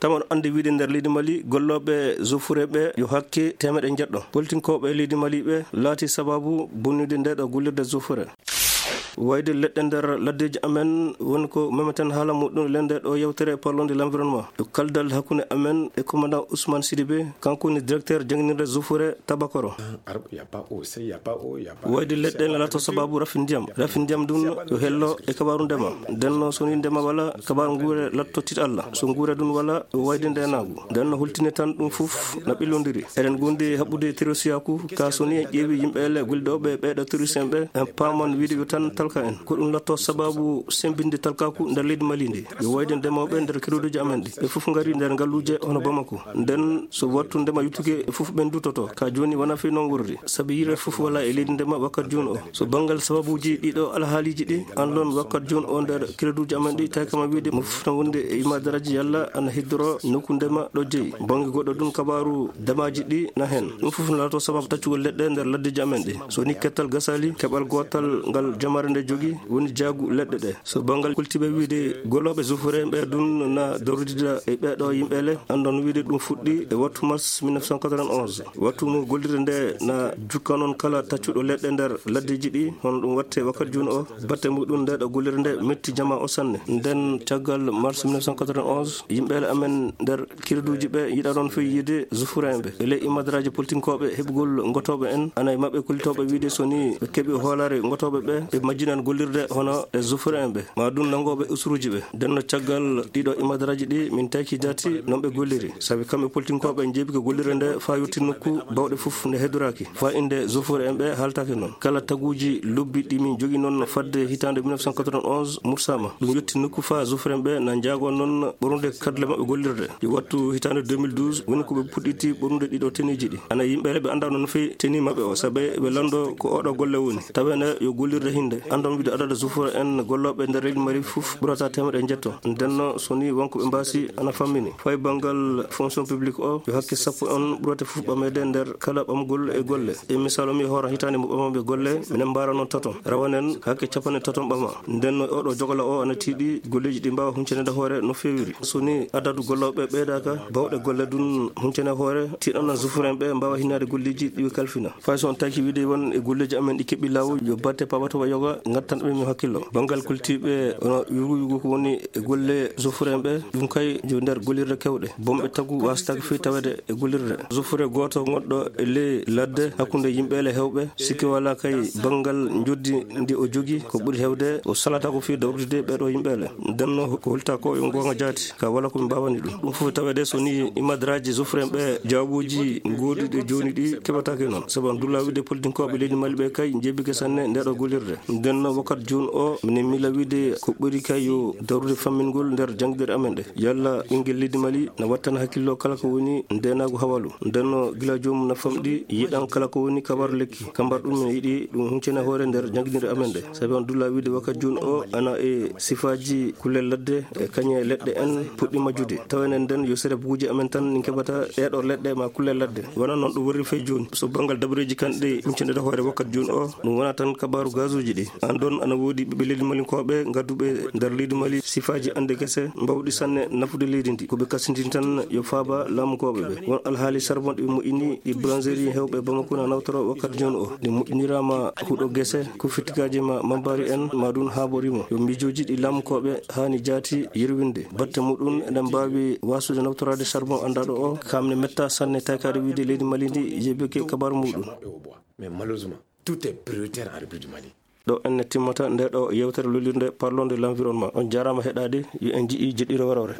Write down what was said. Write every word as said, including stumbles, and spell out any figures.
Tama no anndi wiide nder leydi Mali, gollooɓe Zofure ɓe yo hakke teemeɗe njeɗɗo. Politinkooɓe leydi Mali ɓe laati sabaabu bonnude nde ɗo gollirde Zofure. Wayde leɗɗe nder laddeeji amen woni ko memeten haala muɗum lende ɗo yewtere parlon de l'environnement. Yo kaldal hakkunde amen e commandant Ousmane Sidibé, kanko woni directeur jannginirde Zofure Tabakoro. Wayde leɗɗe ne lato sabaabu rafi ndiyam. Rafi ndiyam ɗum yo hello e kabaaru ndema. Nden no so ni ndema wala, kabaaru nguure latto tit Allah. So nguure ɗum wala, yo wayde ndenaagu. Nden no hultine tan ɗum fof na ɓillondiri. Eɗen gondi haɓɓude terosiyaaku, ka so ni en ƴeewi yimɓe ele gulɗooɓe ɓeeɗo terroriste en ɓe, en paaman wiide yo tan talka en. Ko ɗum latto sabaabu sembinde talkaaku nder leydi Mali ndi. Yo wayde ndemooɓe nder keruuduji amen ɗi. Ɓe fof ngari nder ngalluuje hono Bamako. Nden so wattu ndema yuttuke, e fof ɓen dutoto. Ka jooni wona fii non worri. Sabi yire fof wala e leydi ndema wakkat jooni o. So banngal sababuuji ɗiɗo alhaaliiji ɗi, an lon wakkat jooni o nder keruuduji amen ɗi, tawi kama wiide mo fof tan wonde e imadaraaji yalla ana hiddoro nokku ndema ɗo jeyi. Bannge goɗɗo ɗum kabaaru ndemaaji ɗi na heen. Ɗum fof no laato sababu taccugol leɗɗe nder laddeeji amen ɗi. So ni kettal gasaali, keɓal gootal ngal jamaare nde jogii woni jaagu leɗɗe ɗe. So banngal kultiiɓe wiide gollooɓe Zofure ɓe ɗum na darudida e ɓeeɗo yimɓe le, anndon wiide ɗum fuɗɗi e wattu mars mille neuf cent quatre-vingt-onze. Wattu mo gollirde nde na jukka noon kala taccuɗo leɗɗe nder laddeeji ɗi, hono ɗum watte wakkat jooni o, batte muɗum nde ɗo gollirde nde metti jama o sanne. Nden caggal mars mille neuf cent quatre-vingt-onze, yimɓe le amen nder keruuduji ɓe yiɗa noon fii yiide Zofure en ɓe. E ley imadaraaji politinkooɓe heɓugol ngotooɓe en, ana e maɓɓe kullitooɓe wiide so ni ɓe keɓi hoolaare ngotooɓe ɓe, ɓe majjinan gollirde hono e Zofure en ɓe, ma ɗum nanngooɓe usuruuji ɓe. Nden no caggal ɗiɗo imadaraaji ɗi min tawki jaati non ɓe golliri. Sabi kamɓe politinkooɓe njeebi ko gollirde nde faa yotti nokku bawɗe fof nde heddoraaki. Faa innde Zofure en ɓe haaltaake noon. Kala taguuji lobbi ɗi min jogii noon fadde hitaande mille neuf cent quatre-vingt-onze mursaama. Ɗum yotti nokku faa Zofure en ɓe na njaago noon ɓornude kaddule maɓɓe gollirde. Yo wattu hitaande deux mille douze woni ko ɓe puɗɗiti ɓornude ɗiɗo teniiji ɗi. Ana yimɓe ɓe anndaa noon fii teni maɓɓe o, sabe ɓe lanndo ko oɗo golle woni. Taweende yo gollirde hinde. Anndon wiide adada Zofure en gollooɓe nder leydi Mali fof ɓurata teemeɗe njetto. Ndenno so ni wonko ɓe mbaasi ana fammini. Fay banngal fonction publique o, yo hakke sappo on ɓurate fof ɓameede nder kala ɓamgol e golle. E misal, mi hoora hitaande mo ɓamamɓe golle, minen mbaara noon taton. Rawanen hakke capanɗe taton ɓama. Nden no oɗo jogala o ana tiiɗi golleeji ɗi mbaawa huncanede hoore no feewiri. So ni adadu gollooɓe ɓeydaaka, bawɗe golle ɗum huncane hoore, tiiɗana Zofure en ɓe mbaawa hinnaade golleeji ɗi ɓe kalfina. Fay so on taki wiide won e golleeji amen ɗi keɓi laawol, yo batte pabatowa yoga ngattan ɓe mi hakkillo. Banngal kultiiɓe ono yugu yugu ko woni e golle Zofure en ɓe, ɗum kay yo nder gollirde kewɗe. Bomɓe tagu wastaaka fii tawede e gollirde. Zofure gooto gonɗo e ley ladde hakkunde yimɓe le hewɓe, sikke wala kay banngal njoddi ndi o jogi ko ɓuri hewde o salata ko fii dawrude ɓeɗo yimɓe le. Nden no ko holta ko yo goonga jaati, ka wala ko mi mbawani ɗum. Ɗum fof tawede so ni imadraji Zofure en ɓe jawbuuji gooduɗi jooni ɗi keɓataake noon. Sabu an dulla wiide politinkooɓe leydi Mali ɓe kay njebike sanne ndeɗo gollirde. Nden no wakkat jooni o, minen miila wiide ko ɓuri kay yo dawrude fammingol nder janngirde amen ɗe. Yalla ɓinngel leydi Mali na wattana hakkillo kala ko woni ndeenaagu hawalu. Nden no gila joomum na famɗi yiɗan kala ko woni kabaru lekki. Kambar ɗum min yiɗi ɗum huncene hoore nder janngirde amen ɗe. Sabi on dulla wiide wakkat jooni o ana e sifaaji kulle ladde e kañe leɗɗe en puɗɗi majjude. Tawene nden yo sere buguuji amen tan min keɓata ɗeɗo leɗɗe ma kulle ladde. Wona noon ɗum worri fey jooni. So banngal dabareeji kanɗe huncene hoore wakkat jooni o, ɗum wona tan kabaru gazuuji ɗi. An ɗon ana woodi ɓiɓɓe leydi malinkooɓe ngadduɓe nder leydi Mali sifaaji ande gese mbawɗi sanne nafude leydi ndi. Ko ɓe kasindini tan yo faaba laamukooɓe ɓe. Won alhaali charbon ɗi ɓe moƴƴini ɗi boulangerie hewɓe Bamako na nawtoro wakkat jooni o. Ɗi moƴƴiniraama huɗo gese, ko fittigaaji ma mambari en ma ɗum haaborimo. Yo miijooji ɗi laamukooɓe haani jaati yerwinde. Batte muɗum eɗen mbaawi waasude nawtoraade charbon anndaɗo o. Kamne metta sanne taykaade wiide leydi Mali ndi yebike kabaru muɗum. Mais malheureusement, tout est prioritaire en République du Mali. Ɗo enne timmata nde ɗo yewtere lolirde parlon de l'environnement. On jaaraama heɗaade, yo en nji'i jeɗɗiro warore.